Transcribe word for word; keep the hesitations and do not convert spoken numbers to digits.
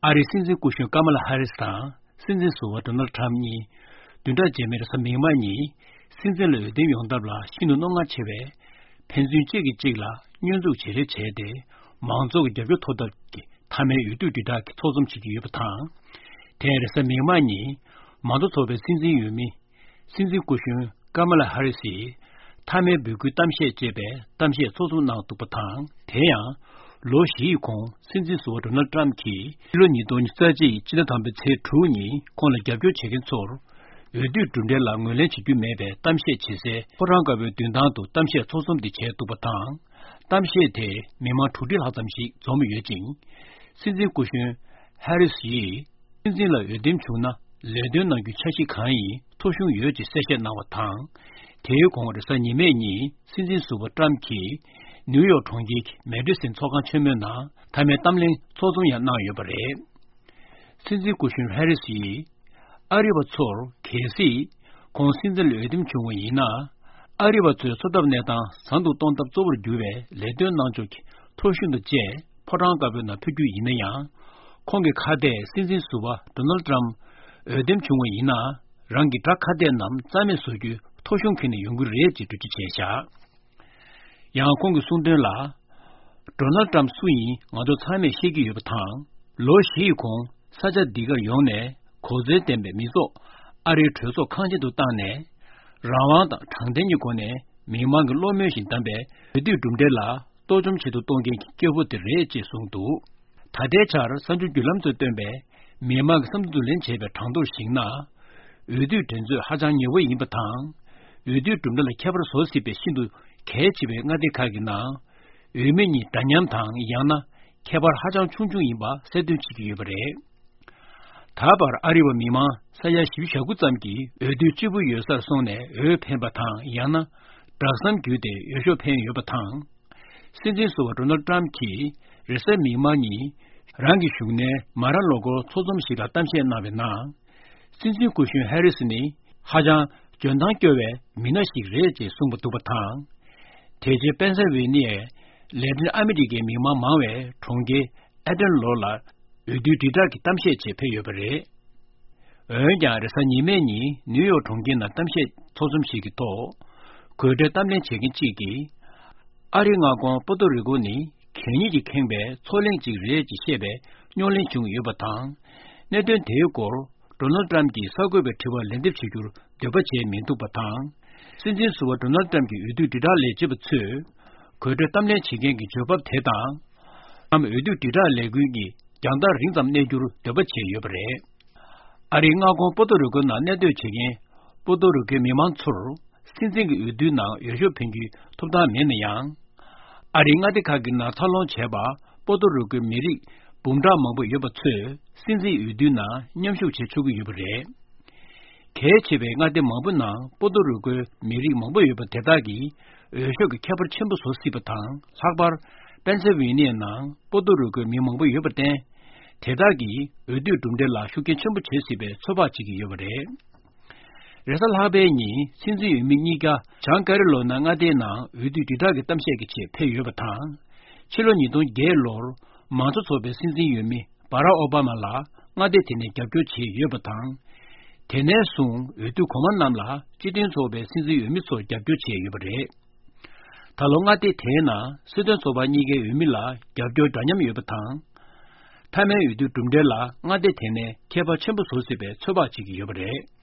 ཨ་རིའི་སྲིད་འཛིན་སྐུ་གཞོན་ཀ་མ་ལ་ཧ་རིས་དང་སྲིད་འཛིན་ཟུར་པ་ཌོ་ནལ་ཊམ་གཉིས་བདུན་ཕྲག་རྗེས་མའི་རེས་གཟའ་མིག་དམར་ཉིན་སྲིད་འཛིན་ལ་འོས་འདེམས་ཡོང་ཐབས་ལ་ཤིན་ཏུ་རྣོ་ངར་ཆེ་བས། ཕན་ཚུན་གཅིག་གིས་གཅིག་ལ་བསྙོན་འཛུགས་བྱེད་རེས་བྱས་ཏེ། མང་ཚོགས་ཀྱི་རྒྱབ་སྐྱོར་ཐོབ་ཐབས་ཀྱི་མཐའ་མའི་འོས་བསྡུ་དྲིལ་བསྒྲགས་ཀྱི་ཚོགས་འཛོམས་བྱེད་ཀྱི་ཡོད་པ་དང་། དེ་རེས་གཟའ་མིག་དམར་ཉིན་མང་གཙོ་ཚོགས་པའི་སྲིད་འཛིན་འོས་མི་སྲིད་འཛིན་སྐུ་གཞོན་ཀ་མ་ལ་ཧ་རི་སིས་མཐའ་མའི་འབོད་སྐུལ་གཏམ་བཤད་ཅེས་པའི་གཏམ་བཤད་ཚོགས་འཛོམས་གནང་འདུག་པ་དང་། དེ་ཡང་ལོ་བཞི་ཡི་གོང་སྲིད་འཛིན་ཟུར་པ་ཌོ་ནལ་ཊམ་གྱིས་ཕྱི་ལོ་ཉིས་སྟོང་ཉི་ཤུ་རྩ་གཅིག་ཕྱི་ཟླ་དང་པོའི་ཚེས་དྲུག་ཉིན་ཁོང་ལ་རྒྱབ་སྐྱོར་བྱེད་མཁན་ཚོར་འོས་བསྡུའི་གྲུབ་འབྲས་ལ་ངོས་ལེན་བྱེད་རྒྱུ་མེད་པའི་གཏམ་བཤད་བྱེད་སའི་ཕོ་བྲང་དཀར་པོའི་མདུན་ཐང་དུ་གཏམ་བཤད་ཚོགས་འཛོམས་འདི་བྱས་འདུག་པ་དང་། གཏམ་བཤད་དེ་མི་མང་དྲུག་ཁྲི་ལྷག་ཙམ་ཞིག་འཛོམས་ཡོད་ཅིང་། སྲིད་འཛིན་སྐུ་གཞོན་ཧ་རི་སི་ཡིས། སྲིད་འཛིན་ལ་འོས་འདེམས་བྱུང་ན་ལས་དོན་གནང་རྒྱུའི་འཆར་གཞི་གང་ཡིན་ཐོ་གཞུང་ཡོད་ཅེས་གསལ་བཤད་གནང་བ་དང་། དེའི་གོང་རེས་གཟའ་ཉི་མའི་ཉིན་སྲིད་འཛིན་ཟུར་པ་ཊམ་གྱིས་ནིའུ་ཡོག་གྲོང་ཁྱེར་གྱི་མེ་ཌི་སན་ཚོགས་ཁང་ཆེན་མོའི་ནང་མཐའ་མའི་གཏམ་གླེང་ཚོགས་འཛོམས་ཡང་གནང་ཡོད་པ་རེད། སྲིད་འཛིན་སྐུ་གཞོན་ཧེ་རི་སི་ཡིས་ཨ་རི་བ་ཚོར་གལ་སྲིད་ཁོང་སྲིད་འཛིན་ལ་འོས་འདེམས་བྱུང་བ་ཡིན་ན། ཨ་རི་བ་ཚོའི་འཚོ་ཐབས་གནས་སྟངས་བཟང་དུ་གཏོང་ཐབས་གཙོ་བོར་གྱུར་བའི་ལས་དོན་གནང་ཕྱོགས་ཀྱི་ཐོ་གཞུང་དང་བཅས་ཕོ་བྲང་དཀར་པོའི་ནང་ཕུལ་རྒྱུ་ཡིན་ན་ཡང་། ཁོང་གི་ཁ་གཏད་སྲིད་འཛིན་ཟུར་པ་ཌོ་ནལ་ཊམ་འོས་འདེམས་བྱུང་བ་ཡིན་ན། རང་གི་དགྲ་ཁ་གཏད་རྣམས་རྩ་མེད་བཟོ་རྒྱུའི་ཐོ་གཞུང་འཁྱེར་ནས་ཡོང་གི་རེད་ཅེས་འགྲེལ་བརྗོད་བྱས་བཞག་ཡང་ཁོང་གིས་གསུངས་དོན་ལ། ཌོ་ནལ་ཊམ་སུ་ཡིན་ང་ཚོ་ཚང་མས་ཤེས་ཀྱི་ཡོད་པ་དང་། ལོ་བཞི་ཡི་གོང་ས་ཆ་འདི་གར་ཡོང་ནས་གོ་མཚོན་ལྡན་པའི་མི་ཚོགས་ཨ་རིའི་གྲོས་ཚོགས་ཁང་ཆེན་དུ་བཏང་ནས། རང་དབང་དང་དྲང་བདེན་གྱི་སྒོ་ནས་མི་མང་གི་བློ་མོས་བཞིན་བདམས་པའི་འོས་བསྡུའི་གྲུབ་འབྲས་ལ་གཏོར་བཅོམ་བྱེད་དུ་གཏོང་མཁན་གྱི་སྐྱོ་པོ་དེ་རེད་ཅེས་གསུངས་འདུག་ད་ལྟའི་ཆར་གསར་འགྱུར་བརྒྱུད་ལམ་ཚོས་བཏོན་པའི་མི་མང་གི་བསམ་ཚུལ་བསྡུ་ལེན་བྱས་པའི་གྲངས་ཐོར་གཞིགས་ན། འོས་བསྡུའི་འགྲན་རྩོད་ཧ་ཅང་ཉེ་བོ་ཡིན་པ་དང་། འོས་བསྡུའི་གྲུབ་འབྲས་ལ་ཁྱད་པར་བཟོ་སྲིད་པའི་ཤིན་ཏུ་གལ་ཆེ་བའི་མངའ་སྡེ་ཁག་གི་ནང་། འོས་མི་གཉིས་འདྲ་མཉམ་དང་ཡང་ན་ཁྱད་པར་ཧ་ཅང་ཆུང་ཆུང་ཡིན་པ་གསལ་སྟོན་བྱེད་ཀྱི་ཡོད་པ་རེད། ད་བར་ཨ་རི་བ་མི་མང་ས་ཡ་བཞི་བཅུ་ཞེ་དགུ་ཙམ་གྱིས་འོས་བསྡུ་སྤྱི་པོ་ཡོད་སར་སོང་ནས་འོས་འཕེན་པ་དང་ཡང་ན་སྦྲག་ཟམ་བརྒྱུད་དེ་འོས་ཤོག་འཕེན་ཡོད་པ་དང་། སྲིད་འཛིན་ཟུར་པ་ཌོ་ནལ་ཊམ་གྱིས་རེས་གཟའ་མིག་དམར་ཉིན་རང་གི་བཞུགས་གནས་མ་ར་ལོ་གོར་ཚོགས་འཛོམས་ཤིག་ལ་གཏམ་བཤད་གནང་བའི་ནང་། སྲིད་འཛིན་སྐུ་གཞོན་ཧེ་རི་སི་ནི་ཧ་ཅང་འཇོན་ཐང་སྐྱོ་བའི་མི་སྣ་ཞིག་རེད་ཅེས་གསུངས་པ་འདུག་པ་དང་། དེ་རྗེས་པེན་སེལ་ཝེ་ནི་ཡའི་ལས་དོན་ཨ་མི་རི་ཀའི་མི་མང་མང་བའི་གྲོང་ཁྱེར་ཨེ་ཏན་ལོར་ལ་འོས་བསྡུའི་དྲིལ་བསྒྲགས་ཀྱི་གཏམ་བཤད་ཆེད་ཕེབས་ཡོད་པ་རེད། འོན་ཀྱང་རེས་གཟའ་ཉི་མའི་ཉིན་ནིའུ་ཡོག་གྲོང་ཁྱེར་ནང་གཏམ་བཤད་ཚོགས་འཛོམས་ཤིག་གི་ཐོག་གོ་སྒྲོས་གཏམ་གླེང་བྱེད་མཁན་གཅིག་གིས། ཨ་རིའི་མངའ་ཁོངས་པོ་ཏོ་རི་ཀོ་ནི་གད་སྙིགས་ཀྱིས་ཁེངས་པའི་མཚོ་གླིང་ཅིག་རེད་ཅེས་བཤད་པའི་རྙོག་གླེང་བྱུང་ཡོད་པ་དང་། གནད་དོན་དེའི་སྐོར་ཌོ་ནལ་ཏྲམ་གྱིས་གསར་འགོད་པའི་དྲི་བར་ལན་འདེབས་བྱེད་རྒྱུར་འདོད་པ་བྱས་མི་འདུག་པ་དང་། སྲིད་འཛིན་ཟུར་པ་ཌོ་ནལ་ཏྲམ་གྱི་འོས་བསྡུ་དྲིལ་བསྒྲགས་ལས་བྱེད་པ་ཚོས་གོ་སྒྲོས་གཏམ་གླེང་བྱེད་མཁན་གྱི་འཇོན་ཕབ་དེ་དང་། ཏྲམ་འོས་བསྡུ་དྲིལ་བསྒྲགས་ལས་འགུལ་གྱི་རྒྱང་ཐག་རིང་ཙམ་གནས་རྒྱུར་འདོད་པ་བྱས་ཡོད་པ་རེད། ཨ་རིའི་མངའ་ཁོངས་པོ་ཏོ་རི་ཀོའི་ནང་གནས་སྡོད་བྱེད་མཁན་པོ་ཏོ་རི་ཀོའི་མི་མང་ཚོར་སྲིད་འཛིན་གྱི་འོས་བསྡུའི་ནང་འོས་ཤོག་འཕེན་རྒྱུའི་ཐོབ་ཐང་མེད་ན་ཡང་། ཨ་རིའི་མངའ་སྡེ་ཁག་གི་ནང་འཚར་ལོངས་བྱས་པ་པོ་ཏོ་རི་ཀོའི་མི་རིགས་འབུམ་ཕྲག་མང་པོ་ཡོད་པ་ཚོས་སྲིད་འཛིན་འོས་བསྡུའི་ནང་མཉམ་ཞུགས་བྱེད་ཆོག་གི་ཡོད་པ་རེད། གལ་ཆེ་བའི་མངའ་སྡེ་མང་པོ་ནང་པོ་ཏོ་རི་ཀོའི་མི་རིགས་མང་པོ་ཡོད་པ་དེ་དག་གིས་འོས་ཤོག་གི་ཁྱད་པར་ཆེན་པོ་བཟོ་སྲིད་པ་དང་། ལྷག་པར་པེན་སེལ་ཝེ་ནི་ཡའི་ནང་པོ་ཏོ་རི་ཀོའི་མི་མང་པོ་ཡོད་པར་བརྟེན། དེ་དག་གིས་འོས་བསྡུའི་གྲུབ་འབྲས་ལ་ཤུགས་རྐྱེན་ཆེན་པོ་བྱེད་སྲིད་པའི་ཚོད་དཔག་བྱེད་ཀྱི་ཡོད་པ་རེད། རེས་གཟའ་ལྷག་པའི་ཉིན་སྲིད་འཛིན་འོས་མི་གཉིས་ཀ་བྱང་ཀ་རི་ལོ་ན་མངའ་སྡེའི་ནང་འོས་བསྡུའི་དྲིལ་བསྒྲགས་ཀྱི་གཏམ་བཤད་ཀྱི་ཆེད་ཕེབས་ཡོད་པ་དང་། ཕྱི་ལོ་ཉིས་སྟོང་བརྒྱད་ལོར་མང་གཙོ་ཚོགས་པའི་སྲིད་འཛིན་འོས་མི་བྷ་རག་ཨོ་བྷ་མ་ལ་མངའ་སྡེ་དེ་ནས་རྒྱབ་སྐྱོར་བྱས་ཡོད་པ་དང་། དེ་ནས་བཟུང་འོས་བསྡུ་གོང་མ་རྣམས་ལ་སྤྱི་མཐུན་ཚོགས་པའི་སྲིད་འཛིན་འོས་མི་ཚོར་རྒྱབ་སྐྱོར་བྱས་ཡོད་པ་རེད། ད་ལོ་མངའ་སྡེ་དེའི་ནང་སྲིད་དོན་ཚོགས་པ་གཉིས་ཀའི་འོས་མི་ལ་རྒྱབ་སྐྱོར་འདྲ་མཉམ་ཡོད་པ་དང་། མཐའ་མའི་འོས་བསྡུའི་གྲུབ་འབྲས་ལ་མངའ་སྡེ་དེ་ནས་ཁྱད་པར་ཆེན་པོ་བཟོ་སྲིད་པའི་ཚོད་དཔག་བྱེད་ཀྱི་ཡོད་པ་རེད།